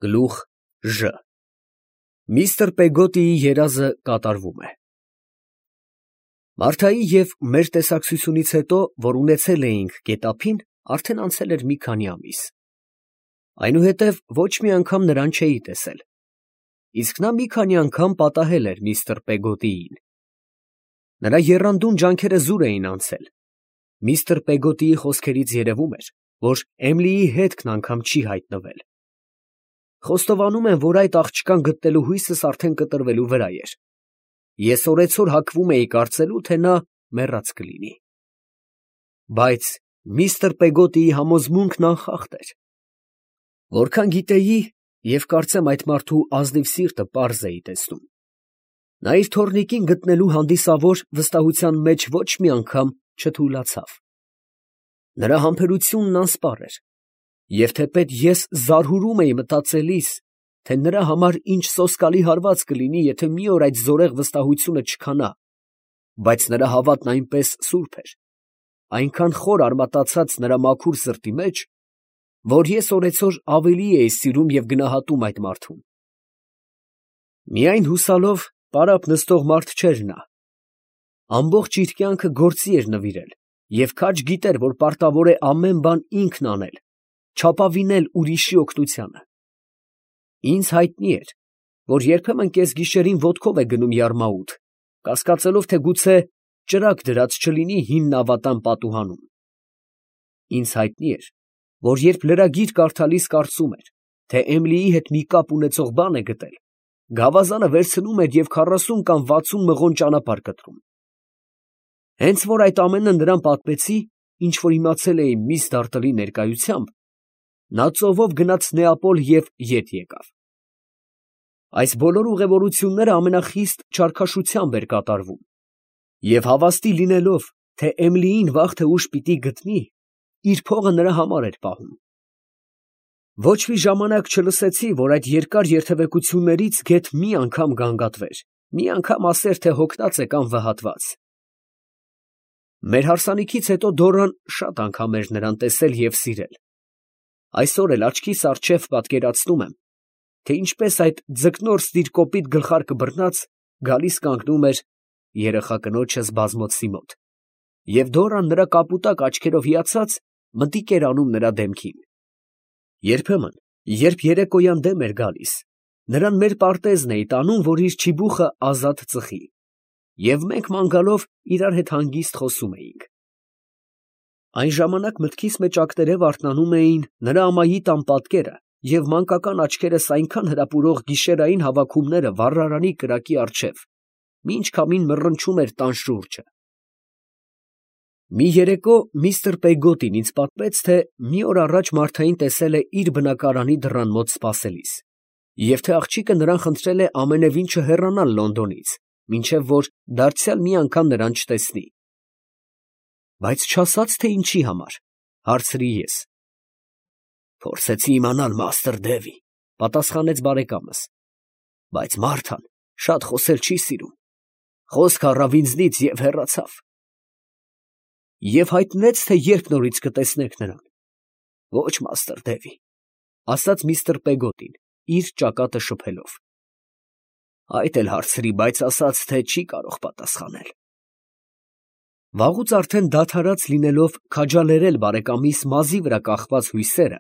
Գլուխ Ժ Միստր Պեգոտիի երազը կատարվում է։ Մարթայի և մեր տեսակցությունից հետո, որ ունեցել էինք գետափին, արդեն անցել էր մի քանի ամիս։ Այնուհետև ոչ մի անգամ նրան չէի տեսել, իսկ նա մի քանի անգամ պատահել էր միստր Պեգոտիին։ Նրա եռանդուն ջանքերը զուր էին անցել։ Միստր Պեգոտիի խոսքերից երևում էր, որ Էմիլիի հետքն անգամ չի հայտնվել։ Խոստովանում եմ, որ այդ աղջկան գտնելու հույսս արդեն կտրվելու վրա էր։ Ես օրեցօր հակվում էի կարծելու, թե նա մեռած կլինի։ Բայց միստր Պեգոտիի համոզմունքն անխախտ էր։ Որքան գիտեի, և կարծեմ այդ մարդու ազնիվ սիրտը պարզ էի տեսնում, նա իր թոռնիկին գտնելու հանդիսավոր վստահության մեջ ոչ մի անգամ չթուլացավ։ Նրա համբերությունն անսպառ էր, և թեպետ ես զարհուրում էի մտածելիս, թե նրա համար ինչ սոսկալի հարված կլինի, եթե մի օր այդ զորեղ վստահությունը չքանա, բայց նրա հավատն այնպես սուրբ էր, այնքան խոր արմատացած նրա մաքուր սրտի մեջ, որ ես օրեցօր ավելի էի սիրում և գնահատում այդ մարդուն։ Միայն հուսալով պարապ նստող մարդ չէր նա. ամբողջ իր կյանքը գործի էր նվիրել և քաջ գիտեր, որ պարտավոր է ամեն բան ինքն անել, չապավինել ուրիշի օգնությանը։ Ինձ հայտնի էր, որ երբեմն կեսգիշերին ոտքով է գնում յարմաուտ, կասկածելով, թե գուցե ճրագ դրած չլինի հին նավատան պատուհանում։ Ինձ հայտնի էր, որ երբ լրագիր կարդալիս կարծում էր, թե Էմիլիի հետ մի կապ ունեցող բան է գտել, գավազանը վերցնում էր և 40 կամ 60 մղոն ճանապարհ կտրում։ Հենց որ այդ ամենը նրան պատմեցի, ինչ որ իմացել էի միս Դարտլի ներկայությամբ, նա ծովով գնաց Նեապոլ և ետ եկավ։ Այս բոլոր ուղևորությունները ամենախիստ չարքաշությամբ էր կատարվում, և հավաստի լինելով, թե Էմիլիին վաղ թե ուշ պիտի գտնի, իր փողը նրա համար էր պահում։ Ոչ մի ժամանակ չլսեցի, որ այդ երկար երթևեկություններից գեթ մի անգամ գանգատվեր, մի անգամ ասեր, թե հոգնած է կամ վհատված։ Մեր հարսանիքից հետո Դորան շատ անգամ էր նրան տեսել և սիրել։ Այսօր էլ աչքիս առջև պատկերացնում եմ, թե ինչպես այդ ձկնորսդիր կոպիտ գլխարկը բռնած գալիս կանգնում էր երեխա կնոջս բազմոցի մոտ, և Դորան նրա կապուտակ աչքերով հիացած մտիկ էր անում նրա դեմքին։ Երբեմն, երբ երեկոյան դեմ էր գալիս, նրան մեր պարտեզն էի տանում, որ իր չիբուխը ազատ ծխի, և մենք ման գալով իրար հետ հանգիստ խոսում էինք։ Այն ժամանակ մտքիս մեջ ակտերև արթնանում էին նրա ամայի տան պատկերը և մանկական աչքերս այնքան հրապուրող գիշերային հավաքումները վառարանի կրակի առջև, մինչ քամին մռնչում էր տան շուրջը։ Մի երեկո միստր Պեգոտին ինձ պատմեց, թե մի օր առաջ Մարթային տեսել է իր բնակարանի դռան մոտ սպասելիս, և թե աղջիկը նրան խնդրել է ամենևին չհեռանալ Լոնդոնից, մինչև որ դարձյալ մի անգամ նրան չտեսնի։ Բայց չասաց, թե ինչի համար, հարցրի ես։ Փորձեցի իմանալ, մաստր Դևի, պատասխանեց բարեկամս, բայց Մարթան շատ խոսել չի սիրում, խոսք առավ ինձնից և հեռացավ։ Եվ հայտնեց, թե երբ նորից կտեսնեք նրան։ Ոչ, մաստր Դևի, ասաց միստր Պեգոտին, իր ճակատը շփելով։ Այդ էլ հարցրի, բայց ասաց, թե չի կարող պատասխանել։ Վաղուց արդեն դադարած լինելով քաջալերել բարեկամիս մազի վրա կախված հույսերը,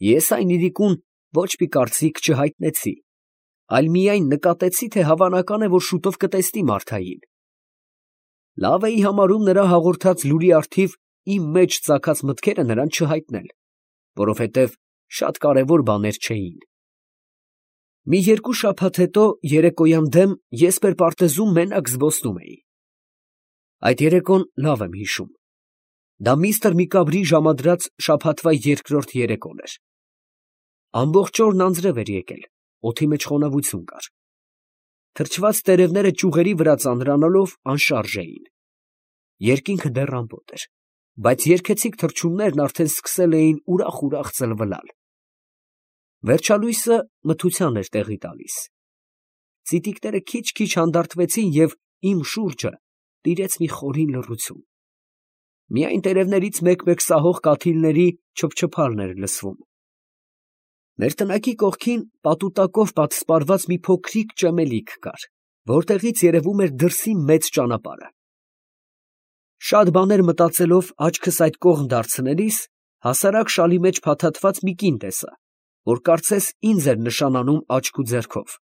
ես այն իրիկուն ոչ մի կարծիք չհայտնեցի, այլ միայն նկատեցի, թե հավանական է, որ շուտով կտեսնի Մարթային։ Լավ էի համարում նրա հաղորդած լուրի առթիվ իմ մեջ ծագած մտքերը նրան չհայտնել, որովհետև շատ կարևոր բաներ չէին։ Մի երկու շաբաթ հետո երեկոյան դեմ ես մեր պարտեզում մենակ զբոսնում էի։ Այդ երեկոն լավ եմ հիշում։ Դա միստր Միկաբրի ժամադրած շաբաթվա երկրորդ երեկոն էր։ Ամբողջ օրն անձրև էր եկել, օդի մեջ խոնավություն կար։ Թրջված տերևները ճյուղերի վրա ծանրանալով անշարժ էին։ Երկինքը դեռ ամպոտ էր, բայց երգեցիկ թռչուններն արդեն սկսել էին ուրախ ծլվլալ։ Վերջալույսը մթության էր տեղի տալիս։ Ծիտիկները քիչ-քիչ հանդարտվեցին և իմ շուրջը տիրեց մի խորին լռություն։ Միայն տերևներից մեկ֊մեկ սահող կաթիլների չփչփալն էր լսվում։ Մեր տնակի կողքին պատուտակով պատսպարված մի փոքրիկ ճեմելիք կար, որտեղից երևում էր դրսի մեծ ճանապարհը։ Շատ բաներ մտածելով աչքս այդ կողմ դարձնելիս, հասարակ շալի մեջ փաթաթված մի կին տեսա, որ կարծես ինձ էր նշանանում աչք ու ձեռքով։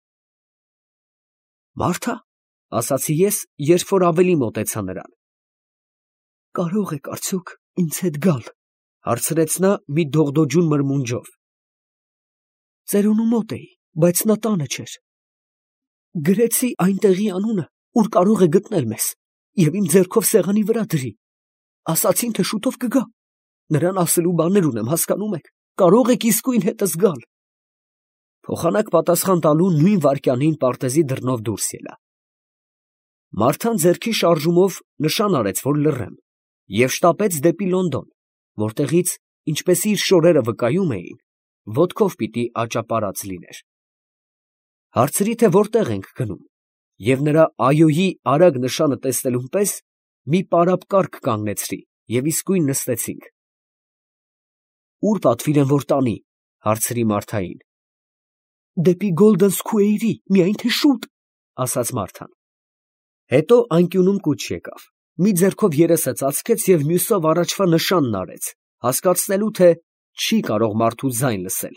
«Մարդ ա՞, ասացի ես, երբ որ ավելի մոտեցա նրան։ «Կարող եք արդյոք ինձ հետ գալ», հարցրեց նա մի դողդոջուն մրմունջով։ «Ծերունու մոտ էի, բայց նա տանը չէր։ Գրեցի այնտեղի անունը, ուր կարող է գտնել մեզ, և իմ ձեռքով սեղանի վրա դրի։ Ասացին, թե շուտով կգա։ Նրան ասելու բաներ ունեմ, հասկանում եք, կարող եք իսկույն հետս գալ»։ Փոխանակ պատասխան տալու նույն վայրկյանին պարտեզի դռնով դուրս ելա։ Մարթան ձեռքի շարժումով նշան արեց, որ լռեմ, և շտապեց դեպի Լոնդոն, որտեղից, ինչպես իր շորերը վկայում էին, ոտքով պիտի աճապարած լիներ։ Հարցրի, թե որտեղ ենք գնում, և նրա այոյի արագ նշանը տեսնելուն պես մի պարապ կառք կանգնեցրի և իսկույն նստեցինք։ «Ուր պատվիրեմ, որ տանի», հարցրի Մարթային։ «Դեպի Գոլդեն Սքուեյրի, միայն թե շուտ», ասաց Մարթան։ Հետո անկյունում կուչ եկավ, մի ձեռքով երեսը ծածկեց և մյուսով առաջվա նշանն արեց, հասկացնելու, թե չի կարող մարդու ձայն լսել։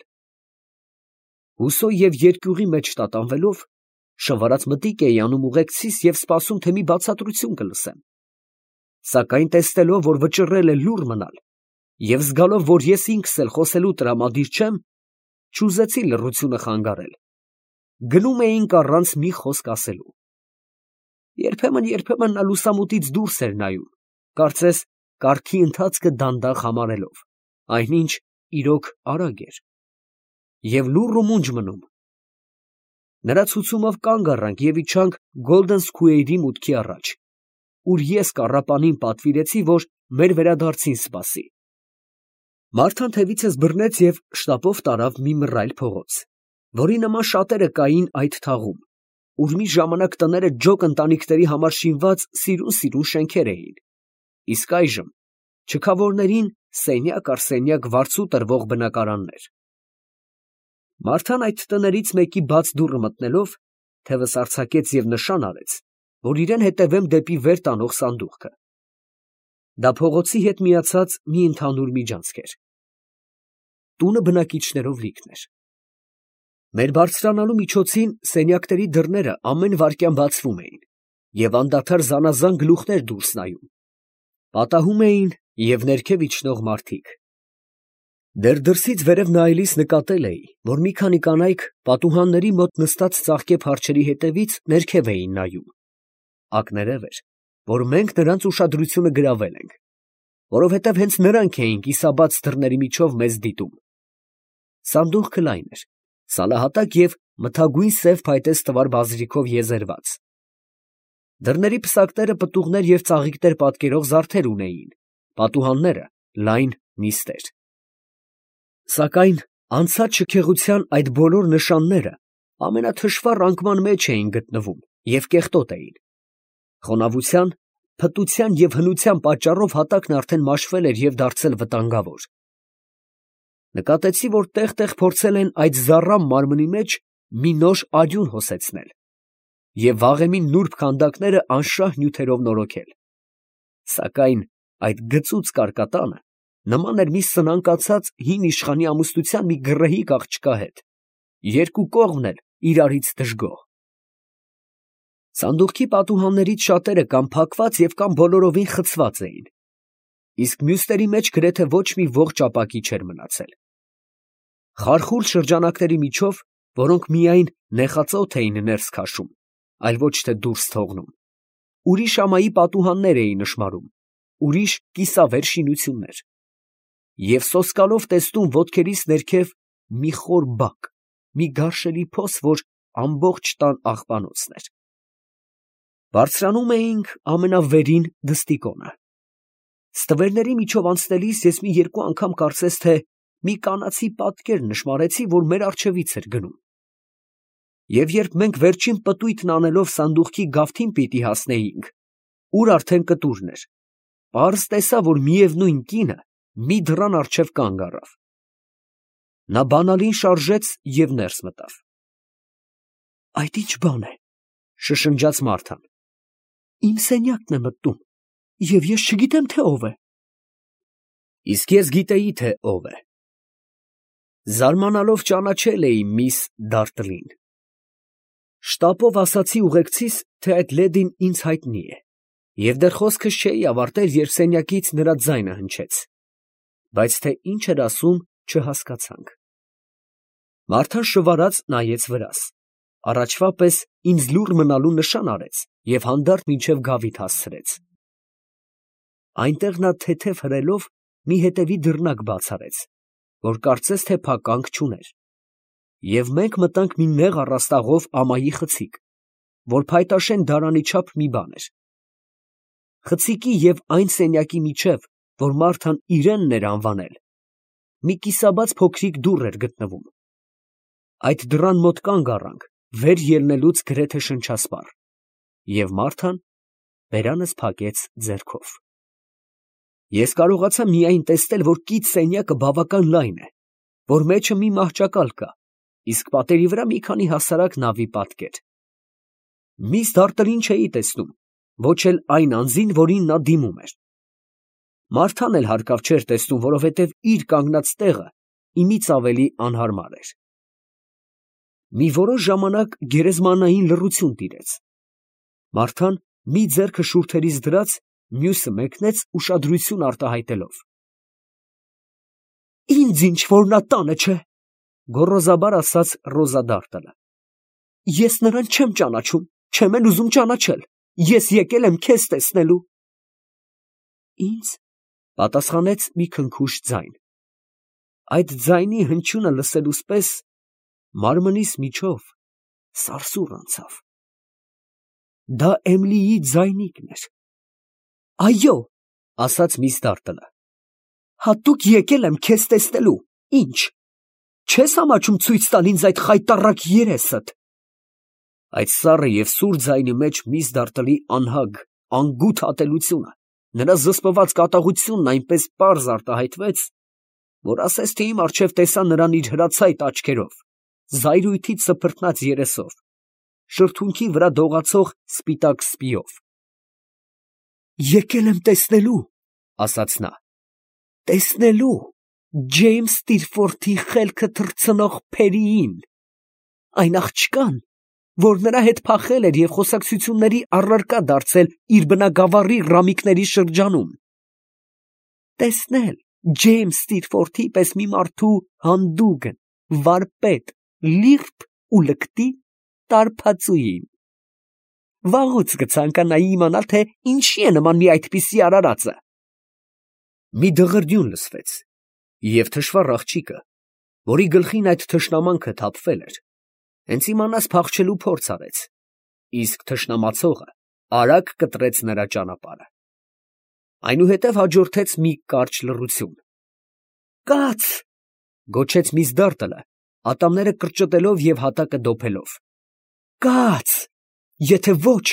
Հուսո և երկյուղի մեջ տատանվելով, շվարած մտիկ էի անում ուղեկցիս և սպասում, թե մի բացատրություն կլսեմ։ Սակայն տեսնելով, որ վճռել է լուռ մնալ, և զգալով, որ ես ինքս էլ խոսելու տրամադիր չեմ, չուզեցի լռությունը խանգարել։ Գնում էինք առանց մի խոսք ասելու։ Երբեմն նա լուսամուտից դուրս էր նայում, կարծես կառքի ընթացքը դանդաղ համարելով, այնինչ իրոք արագ էր, և լուռ ու մունջ մնում։ Նրա ցուցումով կանգ առանք և իջանք Գոլդեն Սքուեյրի մուտքի առաջ, ուր ես կառապանին պատվիրեցի, որ մեր վերադարձին սպասի։ Մարթան թևիցս բռնեց և շտապով տարավ մի մռայլ փողոց, որի նման շատերը կային այդ թաղում, ուր մի ժամանակ տները ջոկ ընտանիքների համար շինված սիրուն շենքեր էին, իսկ այժմ չքավորներին սենյակ առ սենյակ վարձու տրվող բնակարաններ։ Մարթան այդ տներից մեկի բաց դուռը մտնելով, թևս արձակեց և նշան արեց, որ իրեն հետևեմ դեպի վեր տանող սանդուղքը։ Դա փողոցի հետ միացած մի ընդհանուր միջանցք էր։ Տունը բնակիչներով լիքն էր։ Մեր բարձրանալու միջոցին սենյակների դռները ամեն վայրկյան բացվում էին, և անդադար զանազան գլուխներ դուրս նայում։ Պատահում էին և ներքև իջնող մարդիկ։ Դեռ դրսից վերև նայելիս նկատել էի, որ մի քանի կանայք պատուհանների մոտ նստած ծաղկե փարչերի հետևից ներքև էին նայում։ Ակներև էր, որ մենք նրանց ուշադրությունը գրավել ենք, որովհետև հենց նրանք էին կիսաբաց դռների միջով մեզ դիտում։ Սանդուղքը լայն էր, սալահատակ և մթագույն սև փայտե ստվար բազրիքով եզերված։ Դռների պսակները պտուղներ և ծաղիկներ պատկերող զարդեր ունեին, պատուհանները լայն նիստեր։ Սակայն անցած շքեղության այդ բոլոր նշանները ամենաթշվառ անկման մեջ էին գտնվում և կեղտոտ էին։ Խոնավության, փտության և հնության պատճառով հատակն արդեն մաշվել էր և դարձել վտանգավոր։ Նկատեցի, որ տեղ֊տեղ փորձել են այդ զառամ մարմնի մեջ մի նոր արյուն հոսեցնել և վաղեմի նուրբ քանդակները անշահ նյութերով նորոգել։ Սակայն այդ գծուծ կարկատանը նման էր մի սնանկացած հին իշխանի ամուսնության մի գռեհիկ աղջկա հետ, երկու կողմն էլ իրարից դժգոհ։ Սանդուղքի պատուհաններից շատերը կամ փակված և կամ բոլորովին խցված էին, իսկ մյուսների մեջ գրեթե ոչ մի ողջ ապակի չէր մնացել։ Խարխուլ շրջանակների միջով, որոնք միայն նեխածոթ էին ներս քաշում, այլ ոչ թե դուրս թողնում, ուրիշ ամայի պատուհաններ էի նշմարում, ուրիշ կիսավեր շինություններ, և սոսկալով տեսնում ոտքերիս ներքև մի խոր բակ, մի գարշելի փոս, որ ամբողջ տան աղբանոցն էր։ Բարձրանում էինք ամենավերին դստիկոնը։ Ստվերների միջով անցնելիս ես մի երկու անգամ կարծես թե մի կանացի պատկեր նշմարեցի, որ մեր առջևից էր գնում։ Եվ երբ մենք վերջին պտույտն անելով սանդուղքի գավթին պիտի հասնեինք, ուր արդեն կտուրն էր, պարզ տեսա, որ միևնույն կինը մի դռան առջև կանգ առավ։ Նա բանալին շարժեց և ներս մտավ։ Այդ ի՞նչ բան է, շշնջաց Մարթան։ Իմ սենյակն է մտնում, և ես չգիտեմ, թե ով է։ Իսկ ես գիտեի, թե ով է։ Զարմանալով ճանաչել էի միս Դարտլին։ Շտապով ասացի ուղեկցիս, թե այդ լեդին ինձ հայտնի է, և դեռ խոսքս չէի ավարտել, երբ սենյակից նրա ձայնը հնչեց, բայց թե ինչ էր ասում, չհասկացանք։ Մարթան շվարած նայեց վրաս, առաջվա պես ինձ լուռ մնալու նշան արեց և հանդարտ մինչև գավիթ հասցրեց։ Այնտեղ նա թեթև հրելով մի հետևի դռնակ բաց արեց, որ կարծես թե փականք չուներ, և մենք մտանք մի նեղ առաստաղով ամայի խցիկ, որ փայտաշեն դարանի չափ մի բան էր։ Խցիկի և այն սենյակի միջև, որ Մարթան իրենն էր անվանել, մի կիսաբաց փոքրիկ դուռ էր գտնվում։ Այդ դռան մոտ կանգ առանք, վեր ելնելուց գրեթե շնչասպառ, և Մարթան բերանս փակեց ձեռքով։ Ես կարողացա միայն տեսնել, որ կից սենյակը բավական լայն է, որ մեջը մի մահճակալ կա, իսկ պատերի վրա մի քանի հասարակ նավի պատկեր։ Միս Դարտլին չէի տեսնում, ոչ էլ այն անձին, որին նա դիմում էր։ Մարթան էլ հարկավ չէր տեսնում, որովհետև իր կանգնած տեղը իմից ավելի անհարմար էր։ Մի որոշ ժամանակ գերեզմանային լռություն տիրեց։ Մարթան մի ձեռքը շուրթերից դրած, մյուսը մեկնեց ուշադրություն արտահայտելով։ Ինձ ինչ որ նա տանը չէ, գոռոզաբար ասաց Ռոզա Դարտլը։ Ես նրան չեմ ճանաչում, չեմ էլ ուզում ճանաչել, ես եկել եմ քեզ տեսնելու։ Ինձ, պատասխանեց մի քնքուշ ձայն։ Այդ ձայնի հնչյունը լսելուս պես մարմնիս միջով սարսուռ անցավ։ Դա Էմիլիի ձայնիկն էր։ Այո, ասաց միս Դարտլը, հատուկ եկել եմ քեզ տեսնելու, ինչ, չես ամաչում ցույց տալ ինձ այդ խայտառակ երեսդ։ Այդ սառը և սուր ձայնի մեջ միս Դարտլի անհագ, անգութ ատելությունը, նրա զսպված կատաղությունն այնպես պարզ արտահայտվեց, որ ասես թե իմ առջև տեսա նրան իր հրացայտ աչքերով, զայրույթից սփռտնած երեսով, շրթունքի վրա դողացող սպիտակ սպիով։ Եկել եմ տեսնելու, ասաց նա, տեսնելու Ջեյմս Ստիլֆորթի խելքը թռցնող Փերիին, այն աղջկան, որ նրա հետ փախել էր և խոսակցությունների առարկա դարձել իր բնագավառի ռամիկների շրջանում։ Տեսնել Ջեյմս Ստիլֆորթի պես մի մարդու հանդուգն, վարպետ, լիրբ ու լկտի տարբածուին։ Վաղուց կցանկանայի իմանալ, թե ինչի է նման մի այդպիսի արարածը։ Մի դղրդյուն լսվեց, և թշվառ աղջիկը, որի գլխին այդ թշնամանքը թափվել էր, հենց իմանաս փախչելու փորձ արեց, իսկ թշնամացողը արագ կտրեց նրա ճանապարհը։ Այնուհետև հաջորդեց մի կարճ լռություն։ Կաց, գոչեց միս Դարտլը, ատամները կրճտելով և հատակը դոփելով։ Կաց, եթե ոչ,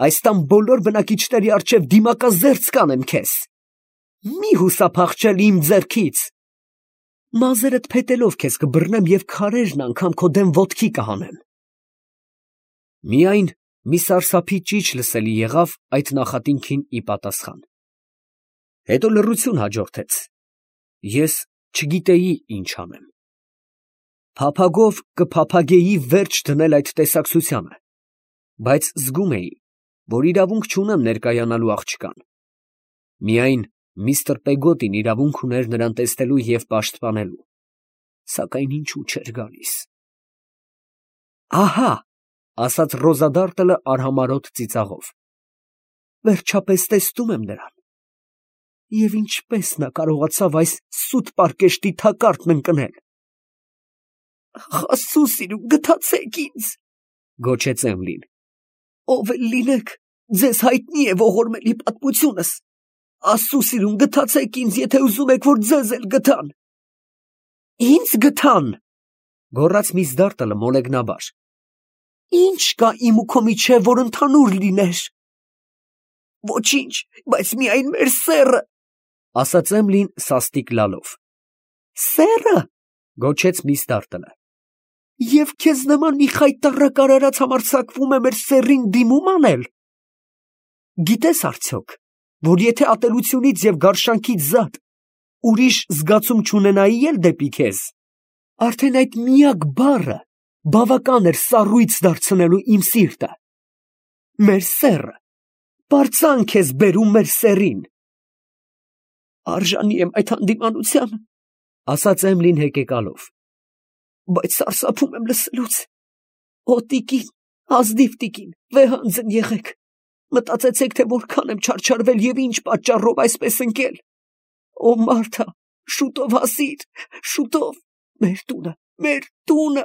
այս տան բոլոր բնակիչների առջև դիմակազերծ կանեմ քեզ։ Մի հուսափախչել իմ ձեռքից։ Մազերդ փետելով քեզ կբռնեմ և քարերն անգամ քո դեմ ոտքի կհանեմ։ Միայն մի սարսափի ճիչ լսելի եղավ այդ նախատինքին ի պատասխան։ Հետո լռություն հաջորդեց։ Ես չգիտեի ինչ անեմ։ Փափագով կփափագեի վերջ դնել այդ տեսակցությանը, բայց զգում էի, որ իրավունք չունեմ ներկայանալու աղջկան։ Միայն միստր Պեգոտին իրավունք ուներ նրան տեսնելու և պաշտպանելու, սակայն ինչու չէր գալիս։ Ահա, ասաց Ռոզա Դարտլը արհամարհոտ ծիծաղով, վերջապես տեսնում եմ նրան։ Եվ ինչպես նա կարողացավ այս սուտ պարկեշտի թակարդն ընկնել։ Աստծո սիրուն, գթացեք ինձ, գոչեց Էմիլին։ Ով էլ լինեք, ձեզ հայտնի է ողորմելի պատմությունս։ Աստծո սիրուն, գթացեք ինձ, եթե ուզում եք, որ ձեզ էլ գթան։ Ինձ գթան, գոռաց միս Դարտլը մոլեգնաբար։ Ինչ կա իմ ու քո միջև, որ ընդհանուր լիներ։ Ոչինչ, բայց միայն մեր սեռը, ասաց Էմիլին սաստիկ լալով։ Սեռը, Գոչեց Միսթարտը։ Եվ քեզ նման մի խայտառակ արարած համարձակվում է մեր սեռին դիմում անել։ Գիտես արդյոք, որ եթե ատելությունից և գարշանքից զատ ուրիշ զգացում չունենայի էլ դեպի քեզ, արդեն այդ միակ բառը բավական էր սառույց դարձնելու իմ սիրտը։ Մեր սեռը պարծանք ես բերում մեր սեռին։ Արժանի եմ այդ հանդիմանության, ասաց Էմլին հեկեկալով, բայց սարսափում եմ լսելուց։ Օ տիկին, ազնիվ տիկին, վեհանձն եղեք, մտածեցեք, թե որքան եմ չարչարվել և ինչ պատճառով այսպես ընկել։ Օ Մարթա, շուտով հասիր, շուտով, մեր տունը,